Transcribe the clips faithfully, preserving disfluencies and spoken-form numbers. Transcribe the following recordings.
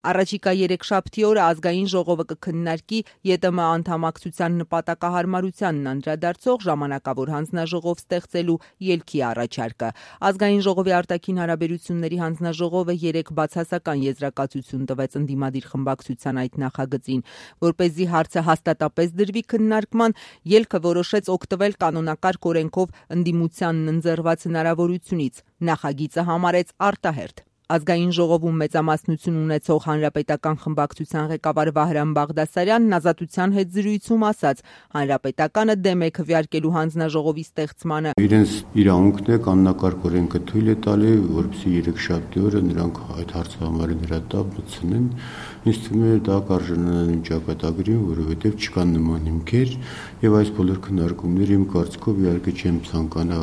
Առաջիկա երեքշաբթի օրը ազգային ժողովը կքննարկի ԵՏՄ անդամակցության նպատակահարմարությանն անդրադարձող ժամանակավոր հանձնաժողով ստեղծելու ելքի առաջարկը։ Ազգային ժողովի արտաքին հարաբերությունների հանձնաժողովը երեկ բացասական եզրակացություն տվեց ընդդիմադիր խմբակցության այդ նախագծին, որպեսզի հարցը հաստատապես դրվի քննարկման, ելքը որոշեց օգտվել կանոնակարգ օրենքով ընդդիմությանն ընձեռված հնարավորությունից, նախագիծը համարեց արտահերթ։ Ազգային ժողովում մեծամասնություն ունեցող հանրապետական խմբակցության ղեկավար Վահրամ Բաղդասարյանն Ազատության հետ զրույցում ասաց. հանրապետականը դեմ է քվեարկելու հանձնաժողովի ստեղծմանը։ Իրենց իրավունքն է կանոնակարգ օրենքը թույլ է տալի, որպեսզի երեքշաբթի օրը նրանք այդ հարցը համարեն հրատապ մտցնեն։ Ինձ թվում է դա կարժանանալու ճակատագրին, որովհետև չկան նման հիմքեր, եւ այս բոլոր քննարկումները իմ կարծիքով իհարկե չեմ ցանկանա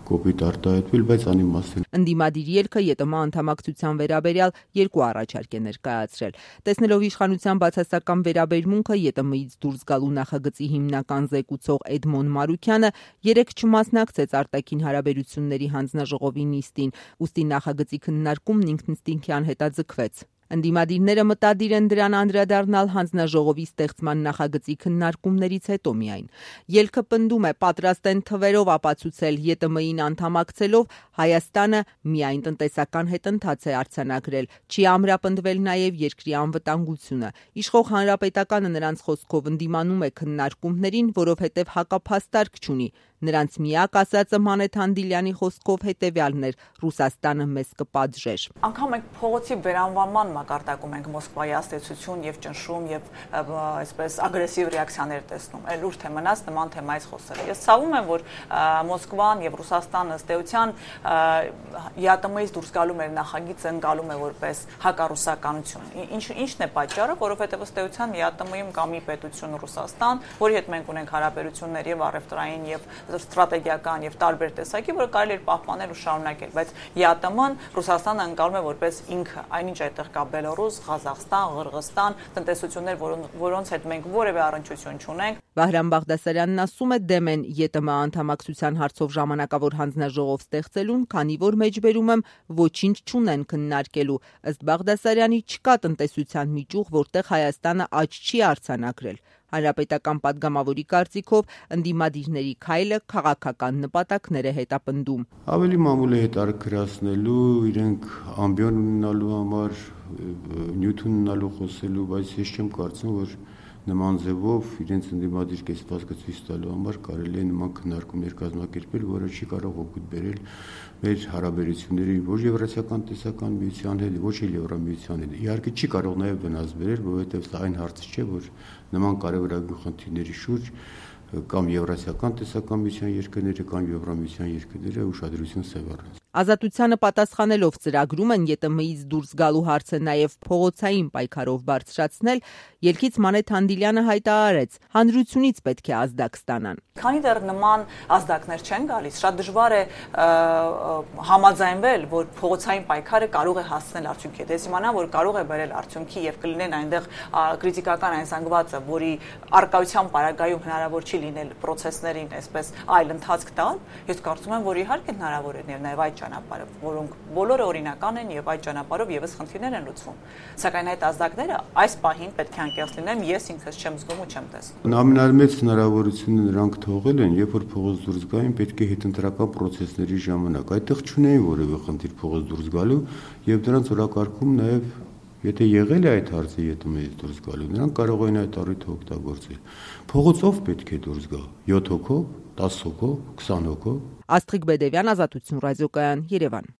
կոպիտ արտահայտվել, բայց անիմաստ։ Ընդդիմադիր ելքը ԵՏՄ անդամակցության վերաբերյալ երկու առաջարկ է ներկայացրել։ Տեսնելով իշխանության բացասական վերաբերմունքը ԵՏՄ-ից դուրս գալու նախագծի հիմնական զեկուցող Էդմոն Մարուքյանը երեկ չմասնակցեց արտաքին հարաբերությունների հանձնաժողովի նիստին, ուստի նախագծի քննարկումն ինքնըստինքյան հետաձգվեց։ Ընդդիմադիրները մտադիր են դրան անդրադառնալ հանձնաժողովի ստեղծման նախագծի քննարկումներից հետո միայն։ Ելքը պնդում է, պատրաստ են թվերով ապացուցել ԵՏՄ-ին անդամակցելով Հայաստանը միայն տնտեսական հետընթաց է արձանագրել, չի ամրապնդվել նաև երկրի անվտանգությունը։ Իշխող հանրապետականը նրանց խոսքով ընդդիմանում է քննարկումներին, որովհետև հակափաստարկ չունի։ Նրանց միակ ասածը Մանեթ Հանդիլյանի խոսքով հետևյալն էր. Ռուսաստանը մեզ կպատժեր։ Անկամ մենք փողոցի վերանվանման մակարդակում ենք Մոսկվայի ազդեցություն եւ ճնշում եւ այսպես ագրեսիվ ռեակցիաներ տեսնում։ Էլ ուր թե մնաց նման թեմայից խոսել։ Ես ցավում եմ, որ Մոսկվան եւ Ռուսաստանը ըստ էության ԵԱՏՄ-ից դուրս գալու մեր նախագիծը ընկալում է որպես հակառուսականություն։ Ինչ ինչն է պատճառը, որովհետեւ ըստ էության ԵԱՏՄ-ում կա մի պետություն Ռուսաստան, որի հետ մենք ունենք հարաբերություններ եւ առևտրային եւ ստրատեգիական եւ տարբեր տեսակի, որը կարելի է պահպանել ու շարունակել, բայց ԵԱՏՄ-ն Ռուսաստանը ընկալում է որպես ինքը, այնինչ այդտեղ կա Բելոռուս, Ղազախստան, Ղրղստան, տնտեսություններ, որոնց հետ մենք որևէ առնչություն չունենք։ Վահրամ Բաղդասարյանն ասում է դեմ են ԵՏՄ անդամակցության հարցով ժամանակավոր հանձնաժողով ստեղծելուն, քանի որ մեջբերում եմ ոչինչ չունեն քննարկելու։ Ըստ Բաղդասարյանի չկա տնտեսության միջուղ, որտեղ Հայաստանը աճ չի արձանագրել։ Հանրապետական падգամավորի կարծիքով ընդդիմադիրների քայլը քաղաքական նպատակներ է հետապնդում։ Ավելի մամուլ է հետաքրքրացնելու, իրենք ամբիոն ունենալու համար, նյութ ունենալու խոսելու, բայց ես չեմ կարծում, որ նման ձևով իրենց ընդդիմադիր կեցվածքը ցույց տալու համար կարելի է նման քննարկումներ կազմակերպել, որը չի կարող օգուտ բերել մեր հարաբերությունների ոչ Եվրասիական տնտեսական միության հետ, ոչ էլ Եվրամիության հետ։ Իհարկե չի կարող նաև վնաս բերել, որովհետև սա այն հարցը չէ, որ նման կարևորագույն խնդիրների շուրջ կամ Եվրասիական տնտեսական միության երկրները կամ Եվրամիության երկրները ուշադրություն սևեռեն։ Ազատությանը պատասխանելով ծրագրում են ԵՏՄ-ից դուրս գալու հարցը նաև փողոցային պայքարով բարձրացնել, ելքից Մանեթ Հանդիլյանը հայտարարեց. հանրությունից պետք է ազդակ ստանան։ Քանի դեռ նման ազդակներ չեն գալիս, շատ դժվար է համաձայնվել, որ փողոցային պայքարը կարող է հասցնել արդյունքի։ Դες իմանա, որ կարող է բերել արդյունքի եւ կլինեն այնտեղ կրիտիկական այն զանգվածը, որի արկայության պարագայում հնարավոր չի լինել process-ներին այսպես այլ ընթացք տալ, ես կարծում եմ, որ իհարկե հնարավոր է նաև այդ ճանապարհը, որոնք բոլորը օրինական են եւ այդ ճանապարհով եւս խնդիրներ են լուծվում։ Սակայն այդ ազդակները այս պահին պետք է անկեղծ լինեն, ես ինքս չեմ զգում ու չեմ տեսնում։ Ամենամեծ հնարավորությունը նրանք թողել են, երբ որ փողոց դուրս գային, պետք է հետընտրական process-ների ժամանակ այդտեղ չունեին որևէ խնդիր փողոց դուրս գալու եւ դրանց օրակարգում նաեւ եթե եղել է այդ հարցը ԵՏՄ-ից դուրս գալու, նրանք կարող են այդ առիթը օգտագործել։ Փողոցով պետք է դուրս գա յոթ հոգով, տասը հոգով, քսան հոգով։ Աստղիկ Բեդևյան, Ազատություն ռադիոկայան, Երևան։